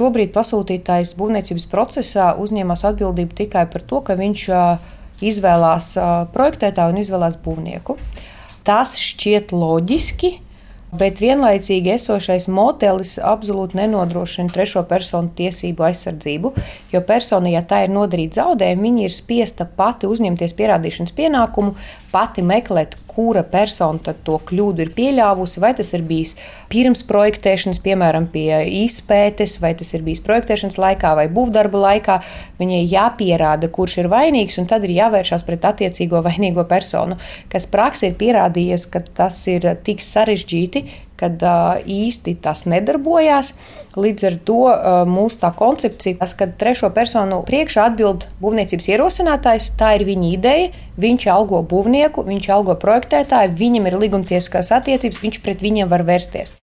šobrīd pasūtītājs būvniecības procesā uzņemas atbildību tikai par to, ka viņš izvēlās projektētāju un izvēlās būvnieku. Tas šķiet loģiski, bet vienlaicīgi esošais modelis absolūti nenodrošina trešo personu tiesību aizsardzību, jo persona, ja tā ir nodarīta zaudējumi, viņa ir spiesta pati uzņemties pierādīšanas pienākumu, pati meklēt, kura persona tad to kļūdu ir pieļāvusi, vai tas ir bijis pirms projektēšanas, piemēram, pie izpētes, vai tas ir bijis projektēšanas laikā vai būvdarba laikā. Viņai jāpierāda, kurš ir vainīgs, un tad ir jāvēršās pret attiecīgo vainīgo personu, kas praksē ir pierādījies, ka tas ir tik sarežģīti, kad īsti tas nedarbojās. Līdz ar to mūsu tā koncepcija, kad trešo personu priekšā atbild būvniecības ierosinātājs, tā ir viņa ideja, viņš algo būvnieku, viņš algo projektētāju, viņam ir līgumtiesiskās attiecības, viņš pret viņiem var vērsties.